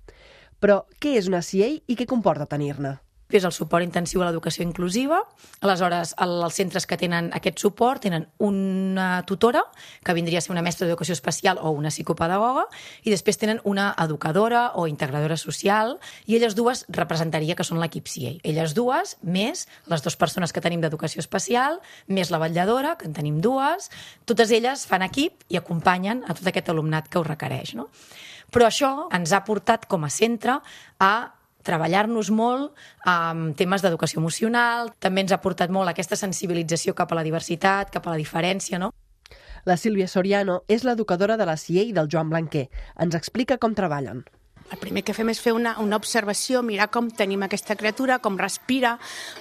Però què és una CA i què comporta tenir-ne? És el suport intensiu a l'educació inclusiva. Aleshores, els centres que tenen aquest suport tenen una tutora, que vindria a ser una mestra d'educació especial o una psicopedagoga, i després tenen una educadora o integradora social, i elles dues representaria que són l'equip CA. Elles dues, més les 2 persones que tenim d'educació especial, més la vetlladora, que en tenim 2, totes elles fan equip i acompanyen a tot aquest alumnat que ho requereix. No? Però això ens ha portat com a centre a treballar-nos molt amb temes d'educació emocional, també ens ha portat molt aquesta sensibilització cap a la diversitat, cap a la diferència, no? La Sílvia Soriano és l'educadora de la CA del Joan Blanquer. Ens explica com treballen. El primer que fem és fer una observació, mirar com tenim aquesta criatura, com respira.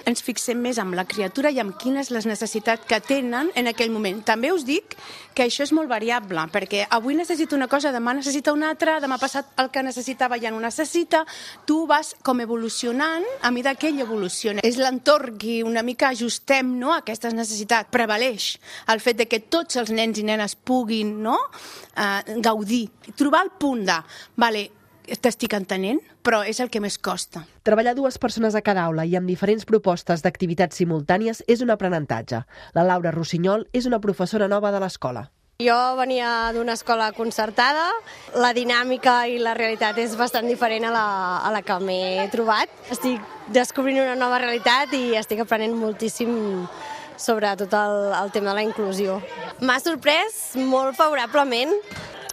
Ens fixem més en la criatura i en quines les necessitats que tenen en aquell moment. També us dic que això és molt variable, perquè avui necessita una cosa, demà necessita una altra, demà passat el que necessitava ja no necessita. Tu vas com evolucionant a mesura que ell evoluciona. És l'entorn que una mica ajustem, no, a aquestes necessitats. Prevaleix el fet de que tots els nens i nenes puguin, no, gaudir. Trobar el punt de, vale, t'estic entenent, però és el que més costa. Treballar 2 persones a cada aula i amb diferents propostes d'activitats simultànies és un aprenentatge. La Laura Rossinyol és una professora nova de l'escola. Jo venia d'una escola concertada, la dinàmica i la realitat és bastant diferent a la que m'he trobat. Estic descobrint una nova realitat i estic aprenent moltíssim sobre tot el tema de la inclusió. M'ha sorprès molt favorablement.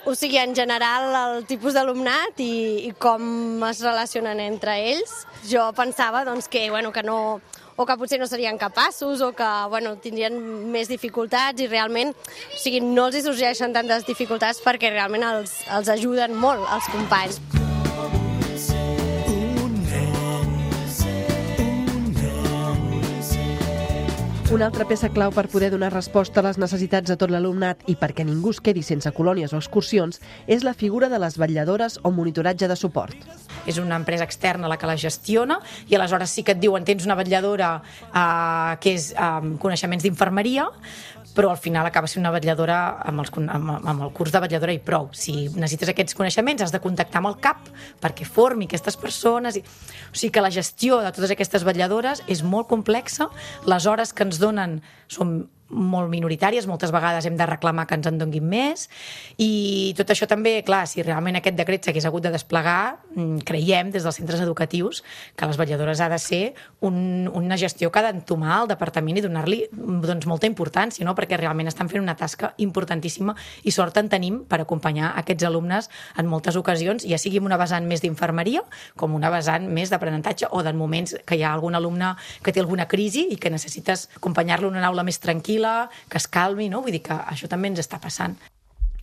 O sigui, en general, el tipus d'alumnat i com es relacionen entre ells. Jo pensava que no, o que potser no serien capaços o que tindrien més dificultats i realment no els hi sorgeixen tantes dificultats perquè realment els ajuden molt els companys. Una altra peça clau per poder donar resposta a les necessitats de tot l'alumnat i perquè ningú es quedi sense colònies o excursions és la figura de les vetlladores o monitoratge de suport. És una empresa externa la que la gestiona i aleshores sí que et diuen tens una vetlladora que és coneixements d'infermeria, però al final acaba sent una vetlladora amb el curs de vetlladora i prou. Si necessites aquests coneixements has de contactar amb el CAP perquè formi aquestes persones. O sigui que la gestió de totes aquestes vetlladores és molt complexa, les hores que ens donen són molt minoritàries, moltes vegades hem de reclamar que ens en donguin més i tot això també, clar, si realment aquest decret s'hagués hagut de desplegar, creiem des dels centres educatius que les vetlladores ha de ser una gestió que ha d'entomar el departament i donar-li molta importància, no? Perquè realment estan fent una tasca importantíssima i sort en tenim per acompanyar aquests alumnes en moltes ocasions, ja sigui una vessant més d'infermeria com una vessant més d'aprenentatge o en moments que hi ha algun alumne que té alguna crisi i que necessites acompanyar-lo en una aula més tranquil·la, que es calmi, no? Vull dir que això també ens està passant.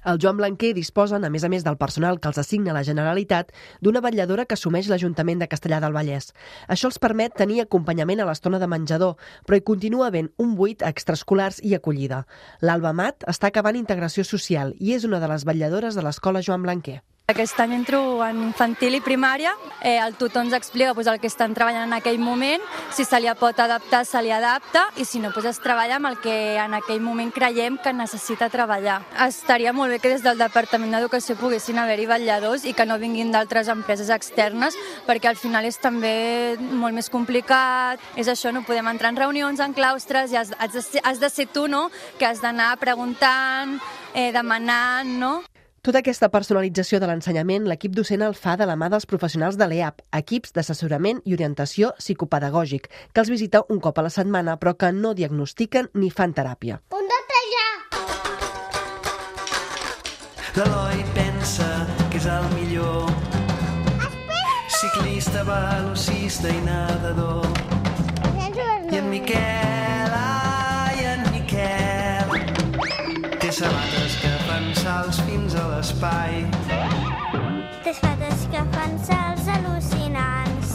El Joan Blanquer disposen, a més del personal que els assigna la Generalitat, d'una vetlladora que assumeix l'Ajuntament de Castellar del Vallès. Això els permet tenir acompanyament a l'estona de menjador, però hi continua havent un buit a extraescolars i acollida. L'Alba Mat està acabant integració social i és una de les vetlladores de l'escola Joan Blanquer. Aquest any entro en infantil i primària, el tutor ens explica el que estan treballant en aquell moment, si se li pot adaptar, se li adapta, i si no, es treballa amb el que en aquell moment creiem que necessita treballar. Estaria molt bé que des del Departament d'Educació poguessin haver-hi vetlladors i que no vinguin d'altres empreses externes, perquè al final és també molt més complicat, és això, no podem entrar en reunions, en claustres, i has de ser tu, no?, que has d'anar preguntant, demanant, no? Tota aquesta personalització de l'ensenyament, l'equip docent el fa de la mà dels professionals de l'EAP, equips d'assessorament i orientació psicopedagògic, que els visita un cop a la setmana, però que no diagnostiquen ni fan teràpia. Punt de trejar! L'Eloi pensa que és el millor. Ciclista, velocista i nedador. I en Miquel, ai, en Miquel, té sabates que fan salts fins a l'espai. Té sabates que fan salts al·lucinants.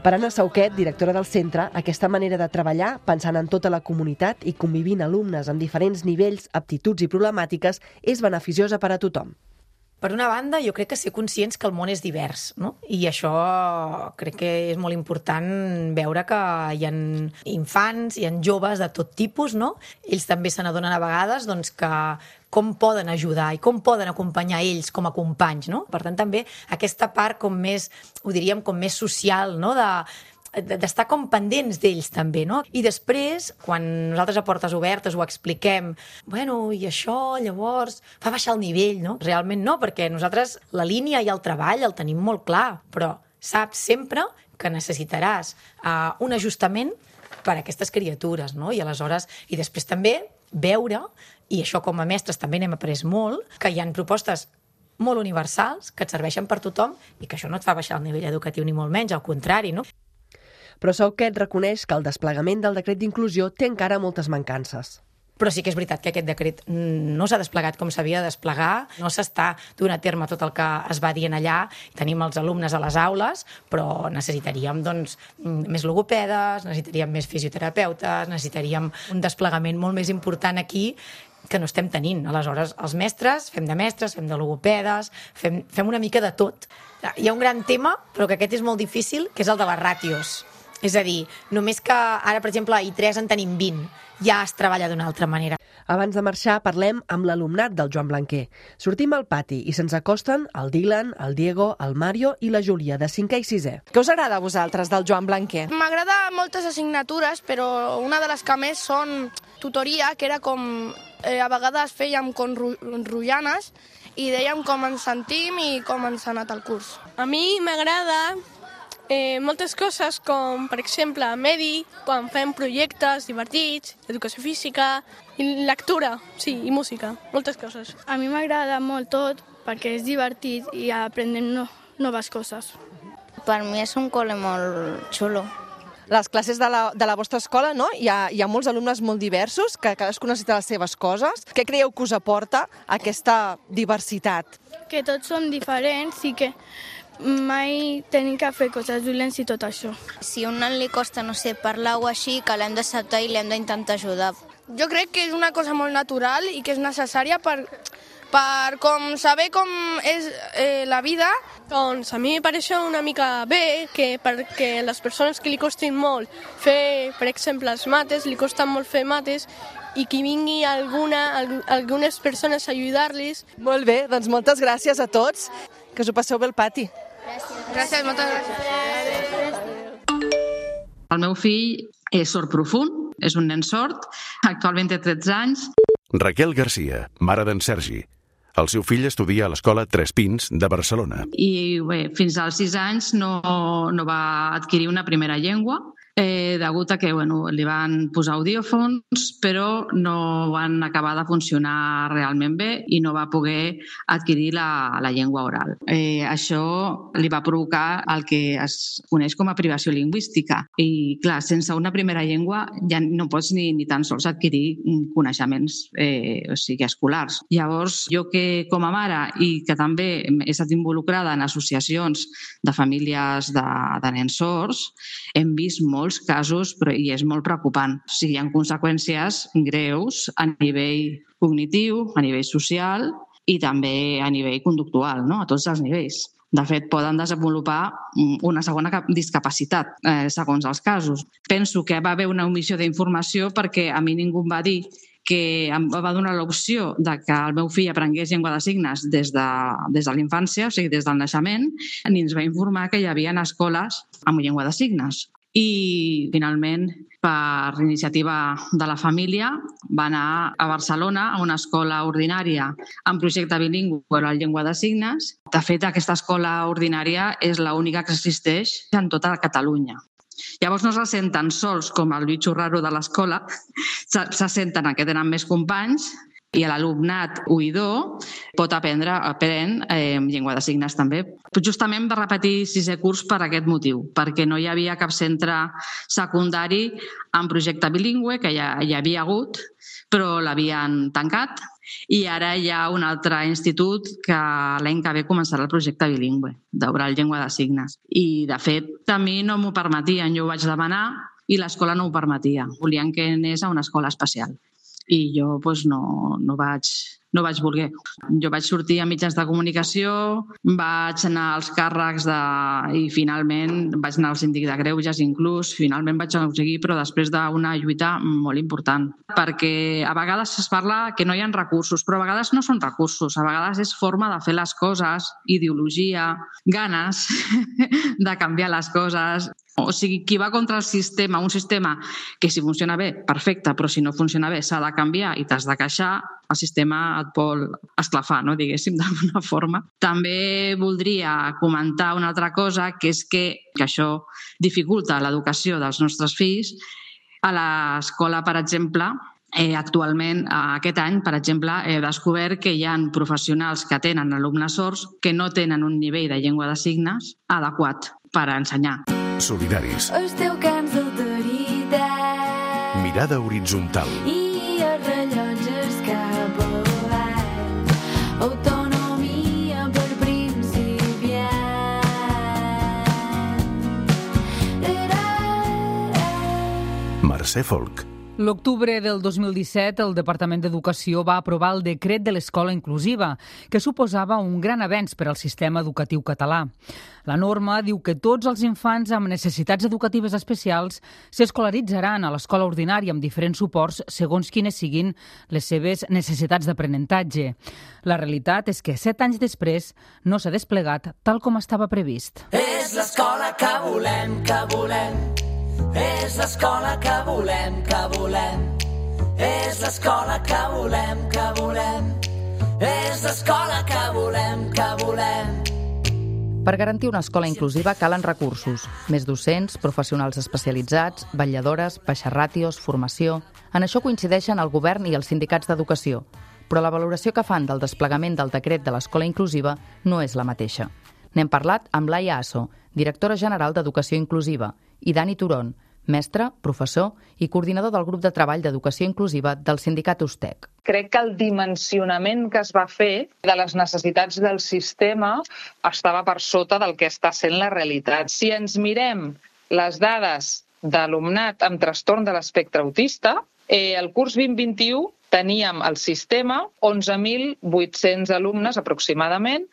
Per Anna Sauquet, directora del centre, aquesta manera de treballar, pensant en tota la comunitat i convivint alumnes amb diferents nivells, aptituds i problemàtiques, és beneficiosa per a tothom. Per una banda, jo crec que ser conscients que el món és divers, no? I això crec que és molt important veure que hi ha infants, hi ha joves de tot tipus, no? Ells també se n'adonen a vegades doncs, que com poden ajudar i com poden acompanyar ells com a companys, no? Per tant, també aquesta part com més, ho diríem, com més social, no? D'estar com pendents d'ells també, no? I després, quan nosaltres a portes obertes ho expliquem, bueno, i això, llavors, fa baixar el nivell, no? Realment no, perquè nosaltres la línia i el treball el tenim molt clar, però saps sempre que necessitaràs un ajustament per a aquestes criatures, no? I aleshores, i després també veure, i això com a mestres també n'hem après molt, que hi ha propostes molt universals que et serveixen per tothom i que això no et fa baixar el nivell educatiu ni molt menys, al contrari, no? Però Sauquet reconeix que el desplegament del decret d'inclusió té encara moltes mancances. Però sí que és veritat que aquest decret no s'ha desplegat com s'havia de desplegar, no s'està duent a terme tot el que es va dient allà, tenim els alumnes a les aules, però necessitaríem doncs, més logopedes, necessitaríem més fisioterapeutes, necessitaríem un desplegament molt més important aquí que no estem tenint. Aleshores, els mestres, fem de logopedes, fem una mica de tot. Hi ha un gran tema, però que aquest és molt difícil, que és el de les ràtios. És a dir, només que ara, per exemple, a I3 en tenim 20, ja es treballa d'una altra manera. Abans de marxar, parlem amb l'alumnat del Joan Blanquer. Sortim al pati i se'ns acosten el Dylan, el Diego, el Mario i la Júlia, de 5è i 6è. Què us agrada a vosaltres del Joan Blanquer? M'agrada moltes assignatures, però una de les que més són tutoria, que era com a vegades fèiem com rotllanes i dèiem com ens sentim i com ens ha anat el curs. A mi m'agrada moltes coses com, per exemple, medi, quan fem projectes divertits, educació física, i lectura, sí, i música, moltes coses. A mi m'agrada molt tot perquè és divertit i aprenem noves coses. Per mi és un col·le molt xulo. Les classes de la vostra escola, no? Hi ha molts alumnes molt diversos, que cadascú necessita les seves coses. Què creieu que us aporta aquesta diversitat? Que tots som diferents i que mai tenim que fer coses dolents i tot això. Si a un nen li costa, no sé, parlar o així, que l'hem d'acceptar i l'hem d'intentar ajudar. Jo crec que és una cosa molt natural i que és necessària per com saber com és la vida. Doncs a mi em pareix una mica bé que perquè les persones que li costin molt fer, per exemple, els mates, li costen molt fer mates, i que vingui algunes persones a ajudar-los. Molt bé, doncs moltes gràcies a tots. Que us ho passeu bé al pati. Gràcies, moltes gràcies. El meu fill és sord profund, és un nen sord, actualment té 13 anys. Raquel Garcia, mare d'en Sergi. El seu fill estudia a l'escola Tres Pins de Barcelona. I bé, fins als 6 anys no va adquirir una primera llengua degut a que li van posar audiòfons, però no van acabar de funcionar realment bé i no va poder adquirir la llengua oral. Això li va provocar el que es coneix com a privació lingüística. I, clar, sense una primera llengua ja no pots ni tan sols adquirir coneixements escolars. Llavors, jo que com a mare i que també he estat involucrada en associacions de famílies de nens sords, hem vist molts casos i és molt preocupant. O sigui, hi ha conseqüències greus a nivell cognitiu, a nivell social i també a nivell conductual, no? A tots els nivells. De fet, poden desenvolupar una segona discapacitat, segons els casos. Penso que va haver una omissió d'informació perquè a mi ningú em va dir que em va donar l'opció de que el meu fill aprengués llengua de signes des de l'infància, o sigui, des del naixement, ni ens va informar que hi havia escoles amb llengua de signes. I, finalment, per iniciativa de la família, va anar a Barcelona a una escola ordinària amb projecte bilingüe per la llengua de signes. De fet, aquesta escola ordinària és l'única que existeix en tota Catalunya. Llavors no se senten sols com el bitxo raro de l'escola, se senten que tenen més companys i l'alumnat oïdor pot aprendre llengua de signes també. Justament va repetir 6è curs per aquest motiu, perquè no hi havia cap centre secundari amb projecte bilingüe, que ja hi havia hagut, però l'havien tancat. I ara hi ha un altre institut que l'any que ve començarà el projecte bilingüe d'oral llengua de signes. I, de fet, a mi no m'ho permetien. Jo ho vaig demanar i l'escola no ho permetia. Volien que anés a una escola especial. I jo no vaig voler. Jo vaig sortir a mitjans de comunicació, vaig anar als càrrecs i finalment vaig anar al síndic de greuges inclús, finalment vaig aconseguir, però després d'una lluita molt important. Perquè a vegades es parla que no hi ha recursos, però a vegades no són recursos, a vegades és forma de fer les coses, ideologia, ganes de canviar les coses. O sigui, qui va contra el sistema, un sistema que si funciona bé, perfecte, però si no funciona bé s'ha de canviar i t'has de queixar, el sistema et vol esclafar, no? Diguéssim, d'alguna forma. També voldria comentar una altra cosa, que és que això dificulta l'educació dels nostres fills. A l'escola, per exemple, actualment, aquest any, per exemple, he descobert que hi ha professionals que tenen alumnes sords que no tenen un nivell de llengua de signes adequat per ensenyar. Solidaris. Esteu cants d'autoritat. Mirada horitzontal. I els rellotges cap avall. Autonomia per principiant. Mercè Folk. L'octubre del 2017, el Departament d'Educació va aprovar el decret de l'escola inclusiva, que suposava un gran avenç per al sistema educatiu català. La norma diu que tots els infants amb necessitats educatives especials s'escolaritzaran a l'escola ordinària amb diferents suports segons quines siguin les seves necessitats d'aprenentatge. La realitat és que 7 anys després no s'ha desplegat tal com estava previst. És l'escola que volem, que volem. És l'escola que volem, que volem. És l'escola que volem, que volem. És l'escola que volem, que volem. Per garantir una escola inclusiva calen recursos, més docents, professionals especialitzats, vetlladores, baixes ràtios, formació. En això coincideixen el govern i els sindicats d'educació, però la valoració que fan del desplegament del decret de l'escola inclusiva no és la mateixa. N'hem parlat amb Laia Asso, directora general d'Educació Inclusiva, i Dani Turón, mestre, professor i coordinador del grup de treball d'educació inclusiva del sindicat USTEC. Crec que el dimensionament que es va fer de les necessitats del sistema estava per sota del que està sent la realitat. Si ens mirem les dades d'alumnat amb trastorn de l'espectre autista, el curs 2021 teníem al sistema 11.800 alumnes aproximadament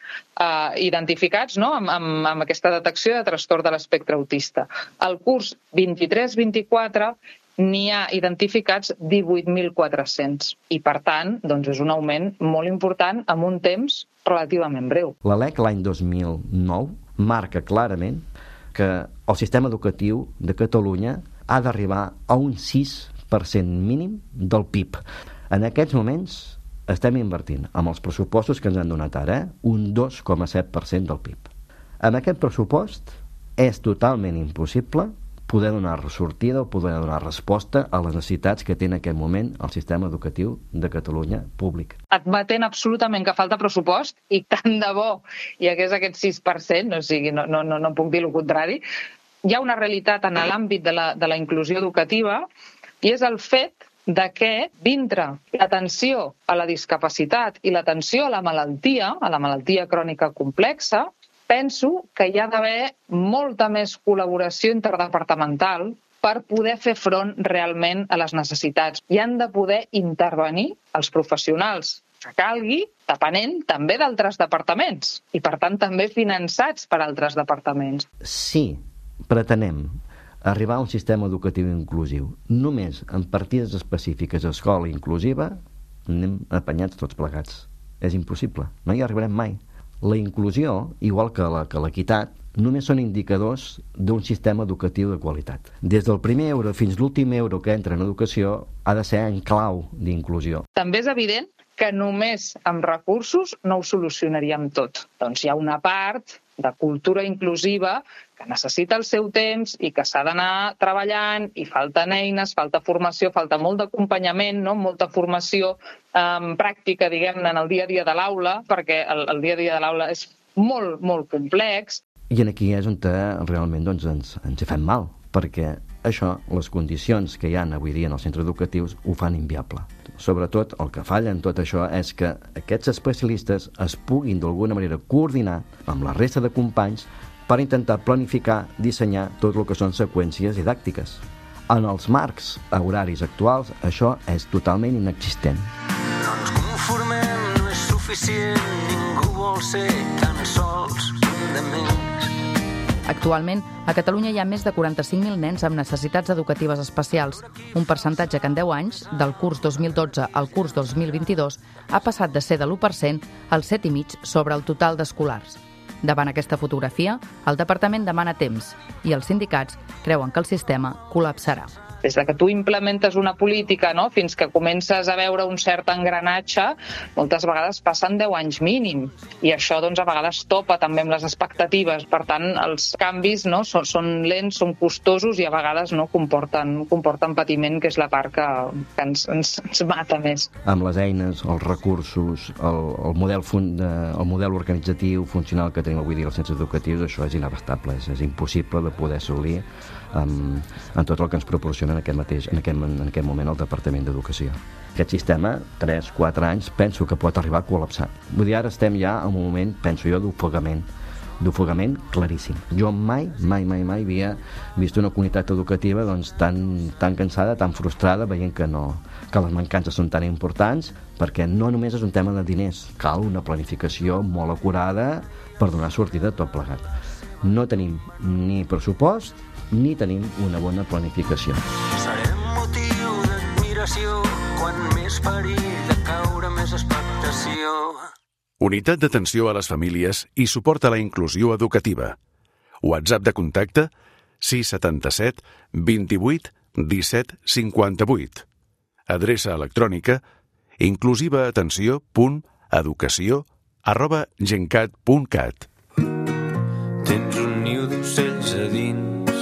identificats amb aquesta detecció de trastorn de l'espectre autista. Al curs 23-24 n'hi ha identificats 18.400 i, per tant, és un augment molt important en un temps relativament breu. La LEC l'any 2009 marca clarament que el sistema educatiu de Catalunya ha d'arribar a un 6% mínim del PIB. En aquests moments estem invertint, amb els pressupostos que ens han donat ara, un 2,7% del PIB. Amb aquest pressupost és totalment impossible poder donar sortida o poder donar resposta a les necessitats que té en aquest moment el sistema educatiu de Catalunya públic. Admetent absolutament que falta pressupost, i tant de bo hi hagués aquest 6%, o sigui, no puc dir el contrari, hi ha una realitat en l'àmbit de la inclusió educativa, i és el fet de que dintre l'atenció a la discapacitat i l'atenció a la malaltia crònica complexa, penso que hi ha d'haver molta més col·laboració interdepartamental per poder fer front realment a les necessitats. I han de poder intervenir els professionals que calgui, depenent també d'altres departaments i, per tant, també finançats per altres departaments. Sí, pretenem arribar a un sistema educatiu inclusiu. Només amb partides específiques a escola inclusiva anem apanyats tots plegats. És impossible, no hi arribarem mai. La inclusió, igual que l'equitat, només són indicadors d'un sistema educatiu de qualitat. Des del primer euro fins l'últim euro que entra en educació ha de ser en clau d'inclusió. També és evident que només amb recursos no ho solucionaríem tot. Doncs hi ha una part de cultura inclusiva que necessita el seu temps i que s'ha d'anar treballant, i falten eines, falta formació, falta molt d'acompanyament, no? Molta formació pràctica, diguem-ne, en el dia a dia de l'aula, perquè el dia a dia de l'aula és molt, molt complex. I aquí és on realment ens hi fem mal, perquè això, les condicions que hi ha avui dia en els centres educatius ho fan inviable. Sobretot, el que falla en tot això és que aquests especialistes es puguin d'alguna manera coordinar amb la resta de companys per intentar planificar, dissenyar tot el que són seqüències didàctiques. En els marcs horaris actuals, això és totalment inexistent. No ens conformem, no és suficient, ningú vol ser tan sols un de més. Actualment, a Catalunya hi ha més de 45.000 nens amb necessitats educatives especials, un percentatge que en 10 anys, del curs 2012 al curs 2022, ha passat de ser de l'1% al 7,5% sobre el total d'escolars. Davant aquesta fotografia, el departament demana temps i els sindicats creuen que el sistema col·lapsarà. Des que tu implementes una política, no, fins que comences a veure un cert engranatge, moltes vegades passen 10 anys mínim. I això, doncs, a vegades topa també amb les expectatives. Per tant, els canvis, no, són lents, són costosos i a vegades no comporten patiment, que és la part que ens mata més. Amb les eines, els recursos, el model organitzatiu, funcional que tenim avui dia als centres educatius, això és inabastable, és impossible de poder assolir en tot el que ens proporciona en aquest moment el Departament d'Educació. Aquest sistema, 3-4 anys, penso que pot arribar a col·lapsar. Vull dir, ara estem ja en un moment, penso jo, d'ofegament claríssim. Jo mai havia vist una comunitat educativa doncs, tan cansada, tan frustrada, veient que les mancances són tan importants, perquè no només és un tema de diners, cal una planificació molt acurada per donar sortida a tot plegat. No tenim ni pressupost ni tenim una bona planificació. Serem motiu d'admiració, quan més perill de caure, més expectació. Unitat d'atenció a les famílies i suport a la inclusió educativa. WhatsApp de contacte 677 28 17 58. Adreça electrònica inclusivaatenció.educació@gencat.cat. Tens un niu d'ocells a dins,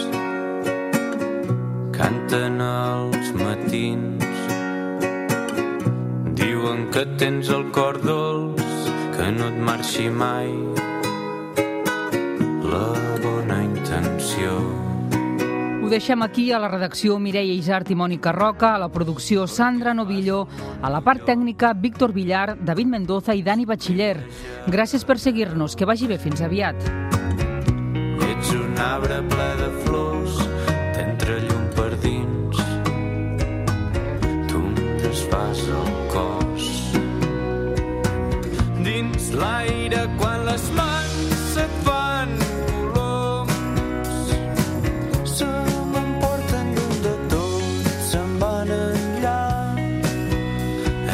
canten als matins, diuen que tens el cor dolç, que no et marxi mai la bona intenció. Ho deixem aquí, a la redacció Mireia Isart i Mònica Roca, a la producció Sandra Novillo, a la part tècnica Víctor Villar, David Mendoza i Dani Batxiller. Gràcies per seguir-nos, que vagi bé, fins aviat. Ets un arbre ple de flors, t'entra llum per dins, tu em desfas el cos. Dins l'aire quan les mans se't fan coloms, se m'emporten lluny de tot, se'n van enllà,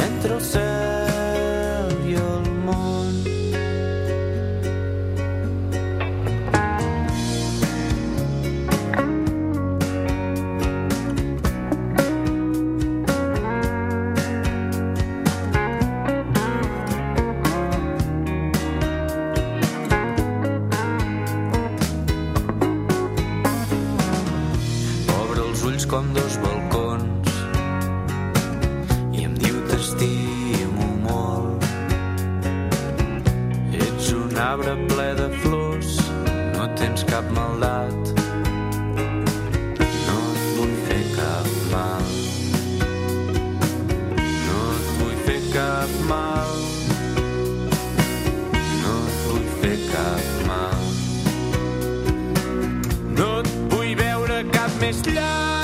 entre el cel i el món. dos balcons i em diu t'estimo molt. Ets un arbre ple de flors, no tens cap maldat, no et vull fer cap mal, no et vull fer cap mal, no et vull fer cap mal, no et vull veure cap més llarg.